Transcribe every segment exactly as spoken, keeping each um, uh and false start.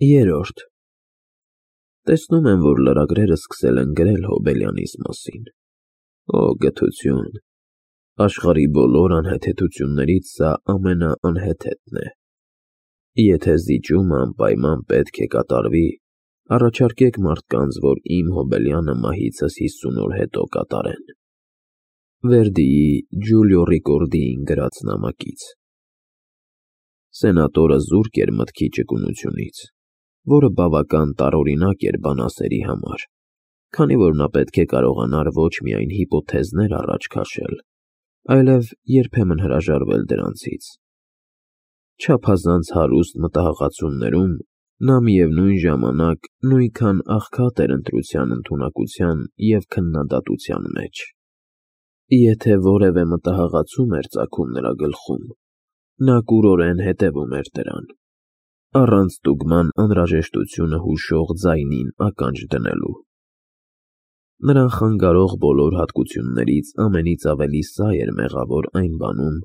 Երրորդ Տեսնում եմ, որ լրագրերը սկսել են գրել Հոբելյանիս մասին։ Օ գթություն, աշխարհի բոլոր անհեթեթություններից սա ամենաանհեթեթն է։ Եթե զիջումը անպայման պետք է կատարվի, առաջարկեք մարդկանց, որ իմ Հոբելյանը մահիցս հիսուն օր հետո կատարեն։ Վերդիի Ջուլիո Ռիկորդիին գրած նամակից։ Սենատորը զուրկ էր մտքի ճկունությունից, որը բավական տարօրինակ էր բանասերի համար, քանի որ նա պետք է կարողանար ոչ միայն հիպոթեզներ առաջ քաշել, այլև երբեմն հրաժարվել դրանցից։ Չափազանց հարուստ մտահղացումներում նա միևնույն ժամանակ նույնքան աղքատ էր ընտրության ընդունակության և քննադատության մեջ։ Եթե որևէ մտահղացում էր ծագում նրա գլխում, նա կուրորեն հետևում էր դրան, առանց ստուգման անհրաժեշտությունը հուշող ձայնին ականջ դնելու։ Նրան խանգարող բոլոր հատկություններից ամենից ավելի սա էր մեղավոր այն բանում,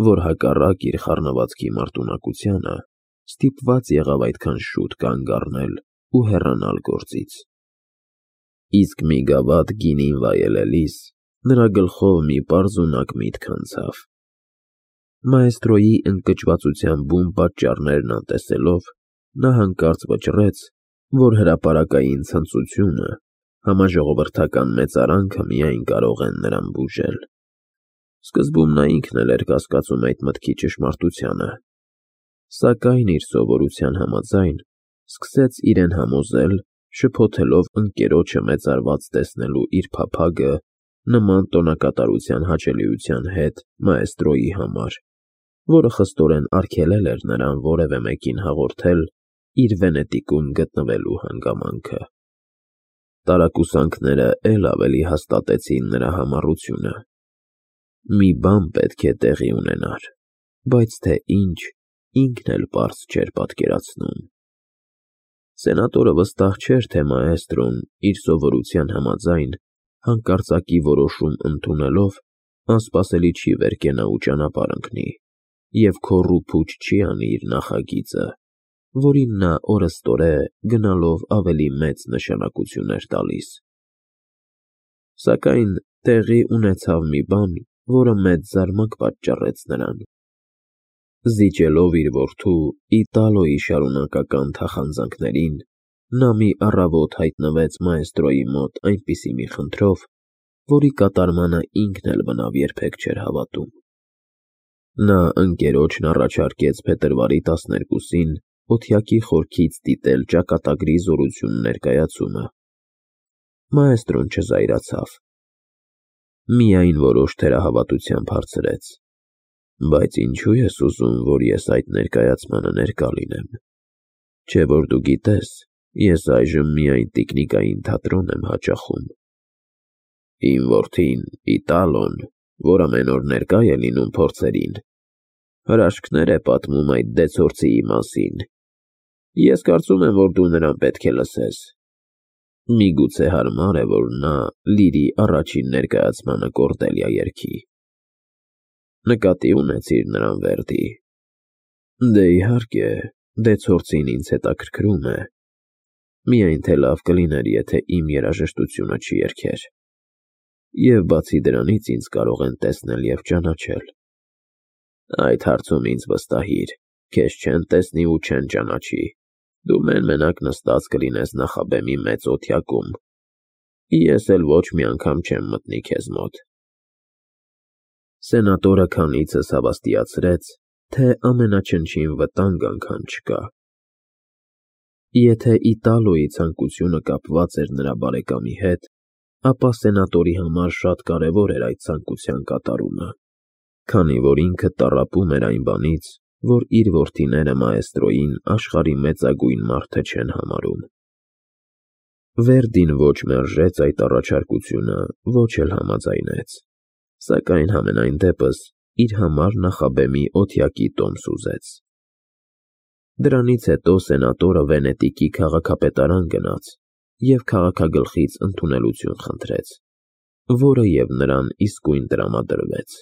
որ հակառակ իր խառնվածքի մարտունակությանը ստիպված եղավ այդքան շուտ կանգ առնել ու հեռանալ գործից։ Իսկ մի գավաթ գինին վայելելիս նրա գլխով մի պարզունակ միտք անցավ։ Մաեստրոյի ընկճվածության բուն պատճառներն անտեսելով, նա հանկարծ վճռեց, որ հրապարակային ցնծությունը, համաժողովրդական մեծարանքը միայն կարող են նրան բուժել։ Սկզբում նա ինքն էլ էր կասկածում այդ մտքի ճշմարտությանը, սակայն իր սովորության համաձայն սկսեց իրեն համոզել, շփոթելով ընկերոջը մեծարված տեսնելու իր փափագը նման տոնակատարության հաճելիության հետ մաեստրոյի համար, որը խստորեն արգելել էր նրան որևէ մեկին հաղորդել իր Վենետիկում գտնվելու հանգամանքը։ Տարակուսանքները էլ ավելի հաստատեցին նրա համառությունը։ Մի բան պետք է տեղի ունենար, բայց թե ինչ, ինքն էլ պարզ չէր պատկերացնում։ Սենատորը վստահ չէր, թե մաեստրոն իր սովորության համաձայն հանկարծակի որոշում ընդունելով անսպասելի չի վերկենա ու ճանապարհ ընկնի և քոռ ու փուչ չի անի իր նախագիծը, որին նա օրըստօրե գնալով ավելի մեծ նշանակություն էր տալիս։ Սակայն տեղի ունեցավ մի բան, որը մեծ զարմանք պատճառեց նրան։ Զիջելով իր որդու Իտալոյի շարունակական թախանձանքներին, նա մի առավոտ հայտնվեց մաեստրոյի մոտ այնպիսի մի խնդրով, որի կատարմանը ինքն էլ բնավ երբեք չէր հավատում։ Նա ընկերոջն առաջարկեց փետրվարի տասներկուսին օթյակի խորքից դիտել ճակատագրի զորություն ներկայացումը։ Մաեստրոն չզայրացավ, միայն որոշ թերահավատությամբ հարցրեց. Բայց ինչու ես ուզում, որ ես այդ ներկայացմանը ներկա լինեմ, չէ՞ որ դու գիտես, ես այժմ միայն տիկնիկային թատրոն եմ հաճախում։ Իմ որդին Իտալոն, որ ամեն օր ներկա է լինում փորձերին, հրաշքներ է պատմում այդ դեցորցիի մասին։ Ես կարծում եմ, որ դու նրան պետք է լսես։ Միգուցե հարմար է, որ նա Լիրի առաջին ներկայացմանը Կորդելիա երգի։ Նկատի ունեցիր նրան, Վերդի։ Դե իհարկե, դեցորցին ինձ հետաքրքրում է, միայն թե լավ կլիներ, եթե իմ երաժշտությունը չերգեր։ Եվ բացի դրանից ինձ կարող են տեսնել և ճանաչել։ Այդ հարցում ինձ վստահիր, քեզ չեն տեսնի ու չեն ճանաչի, դու մեն-մենակ նստած կլինես նախաբեմի մեծ օթյակում, ես էլ ոչ մի անգամ չեմ մտնի քեզ մոտ։ Սենատորը քանիցս հավաստիացրեց, թե ամենաչնչին վտանգ անգամ չկա։ Եթե Իտալոյի ցանկությունը կապված էր նրա բարեկամի հետ, ապա սենատորի համար շատ կարևոր էր այդ ցանկության կատարումը, քանի որ ինքը տառապում էր այն բանից, որ իր որդիները մաեստրոյին աշխարհի մեծագույն մարդը չեն համարում։ Վերդին ոչ մերժեց այդ առաջարկությունը, ոչ էլ համաձայնեց, սակայն համենայն դեպս իր համար նախաբեմի օթյակի տոմս ուզեց։ Դրանից հետո սենատորը Վենետիկի քաղաքապետարան գնաց և քաղաքագլխից ընդունելություն խնդրեց, որը և նրան իսկույն տրամադրվեց։